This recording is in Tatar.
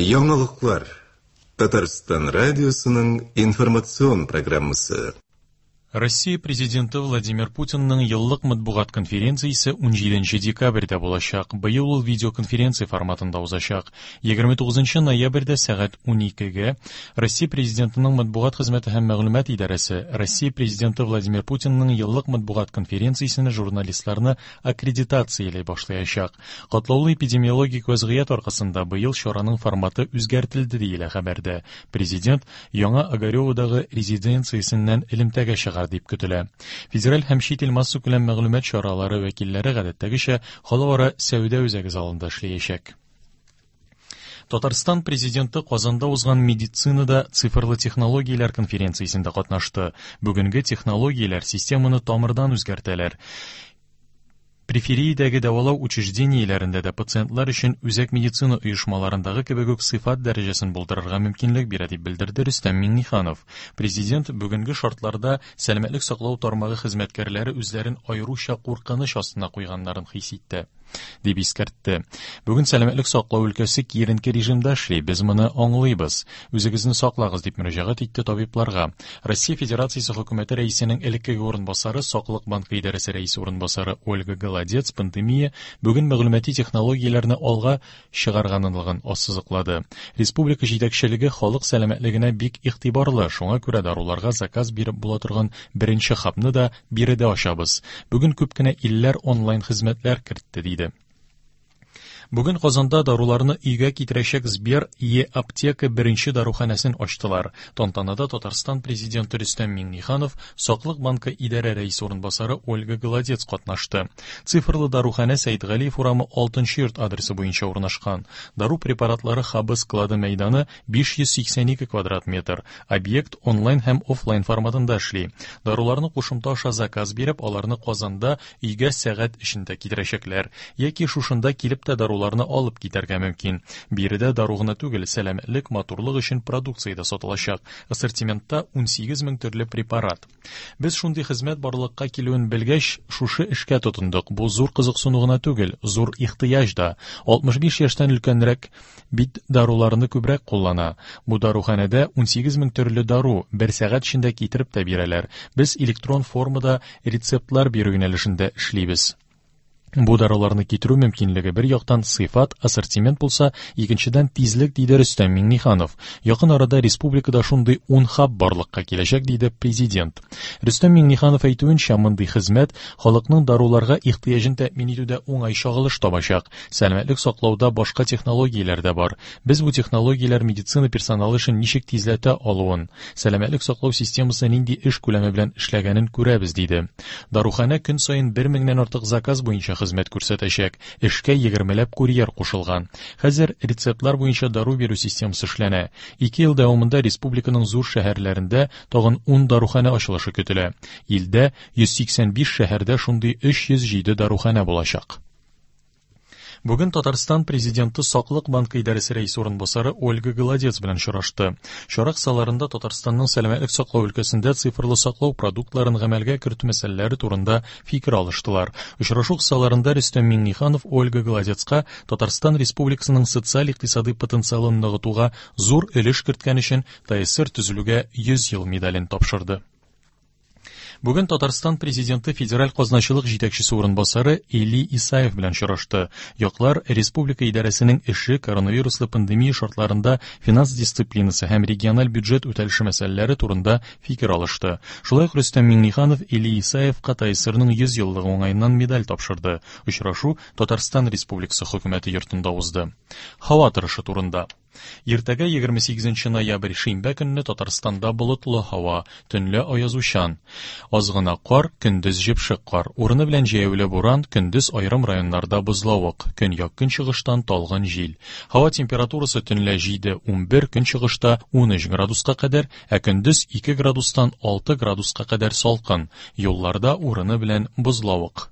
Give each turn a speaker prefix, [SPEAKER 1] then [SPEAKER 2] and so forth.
[SPEAKER 1] Яңалыклар. Татарстан радиосының информацион программасы.
[SPEAKER 2] Россия Президенты Владимир Путинның еллык матбугат конференциясе 17 декабрьдә булачак. Быел ул видеоконференция форматында узачак. 29 ноябрьдә сәгать 12-гә Россия Президентының матбугат хезмәте һәм мәгълүмат идарәсе Россия Президенты Владимир Путинның еллык матбугат конференциясенә журналистларны аккредитацияли башлаячак. Катлаулы эпидемиологик вәзгыять аркасында быел чараның форматы үзгәртелде, диелә хәбәрдә. Президент Яңа Огареводагы резиденциясеннән элемтәгә чыгар дип көтелә. Федераль һәм чит ил массакүләм мәгълүмат чаралары вәкилләре гадәттәгечә халыкара сәүдә үзәге залында эшләячәк. Татарстан президенты Казанда узган медицинада цифрлы технологияләр конференциясендә катнашты. Бүгенге технологияләр системаны тамырдан үзгәртәләр. Перифериядәге дәвалау учреждениеләрендә дә пациентлар өчен үзәк медицина оешмаларындагы кебек үк сыйфат дәрәҗәсен булдырырга мөмкинлек бирә, дип белдерде Рөстәм Миңнеханов. Президент бүгенге шартларда сәламәтлек саклау тармагы хезмәткәрләре үзләрен аеруча куркыныч астына куйганнарын хис итте, дип искәртте. Бүген сәламәтлек саклау өлкәсе киеренке режимда эшли, без моны аңлыйбыз. Үзегезне саклагыз, дип мөрәҗәгать итте табибларга. Россия Федерациясе Хөкүмәте Рәисенең элеккеге урынбасары, Саклык банкы идарәсе рәисе урынбасары Ольга Голодец пандемия бүген мәгълүмати технологияләрне алга чыгарганлыгын ассызыклады. Республика җитәкчелеге халык сәламәтлегенә бик игътибарлы, шуңа күрә даруларга заказ биреп була торган беренче хабны да биредә ачабыз. Бүген күп кенә илләр онлайн хезмәтләр кертте, диде. Бүген Казанда даруларны өйгә китерәчәк Сбер Е-аптека беренче даруханәсен ачтылар. Тантанада Татарстан Президенты Рөстәм Миңнеханов, Саклык банкы идарә рәисе урынбасары Ольга Голодец катнашты. Цифрлы даруханә Сәетгалиев урамы 6 йорт адресы буенча урнашкан. Дару препаратлары хабы склады мәйданы 582 квадрат метр. Объект онлайн һәм офлайн форматында эшли. Даруларны кушымта аша заказ биреп, аларны Казанда өйгә сәгать эчендә китерәчәкләр яки шушында килеп тә даруларны алып китәргә мөмкин. Биредә дару гына түгел, сәламәтлек, матурлык өчен продукция дә сатылачак. Ассортиментта 18 мең төрле препарат. Без шундый хезмәт барлыкка килүен белгәч, шушы эшкә тотындык. Бу зур кызыксыну гына түгел, зур ихтыяҗ да. 65 яшьтән өлкәнрәк бит даруларны күбрәк куллана. Бу даруханәдә 18 мең төрле дару бер сәгать эчендә китереп тә бирәләр. Без электрон формада рецептлар бирү юнәлешендә эшлибез. Бу даруларны китерү мөмкинлеге бер яктан сыйфат, ассортимент булса, икенчедән тизлек, диде Рөстәм Миңнеханов. Якын арада республикада шундый 10 хаб барлыкка киләчәк, диде президент. Рөстәм Миңнеханов әйтүенчә, мондый хезмәт халыкның даруларга ихтыяҗын тәэмин итүдә уңай чагылыш табачак. Сәламәтлек саклауда башка технологияләр дә бар. Без бу технологияләр медицина персоналы эшен ничек тизләтә алуын, сәламәтлек саклау системасы нинди эш күләме белән эшләгәнен күрәбез, диде. Даруханә көн саен бер меңнән артык заказ буенча хезмәт күрсәтәчәк. Эшкә егермеләп курьер кушылган. Хәзер рецептлар буенча дару бирү системасы эшләнә. Ике ел дәвамында республиканың зур шәһәрләрендә тагын 10 даруханә ачылышы көтелә. Илдә 185 шәһәрдә шундый 307 даруханә булачак. Бүген Татарстан Президенты Саклык банкы идарәсе рәисе урынбасары Ольга Голодец белән очрашты. Чара кысаларында Татарстанның сәламәтлек саклау өлкәсендә цифрлы саклау продуктларын гамәлгә кертү мәсьәләләре турында фикер алыштылар. Очрашу кысаларында Рөстәм Миңнеханов Ольга Голодецка Татарстан Республикасының социаль-икътисадый потенциалын ныгытуга зур өлеш керткән өчен ТАССР төзелүгә 100 ел медален тапшырды. Бүген Татарстан Президенты федераль казначылык җитәкчесе урынбасары Эли Исаев белән очрашты. Яклар республика идарәсенең эше, коронавируслы пандемия шартларында финанс дисциплинасы һәм региональ бюджет үтәлеше мәсьәләләре турында фикер алышты. Шулай ук Рөстәм Миңнеханов Эли Исаевка ТАССРның 100 еллыгы уңаеннан медаль тапшырды. Очрашу Татарстан Республикасы Хөкүмәте йортында узды. Һава торышы турында. Иртәгә 28 ноябрь шимбә көнне Татарстанда болытлы һава, төнлә аязучан. Аз гына кар, көндез җепшек кар. Урыны белән җәяүле буран, көндез аерым районнарда бозлавык. Көньяк-көнчыгыштан талгын җил. Һава температурасы төнлә 7-11, көнчыгышта 13 градуска кадәр, ә көндез 2 градустан 6 градуска кадәр салкын. Юлларда урыны белән бозлавык.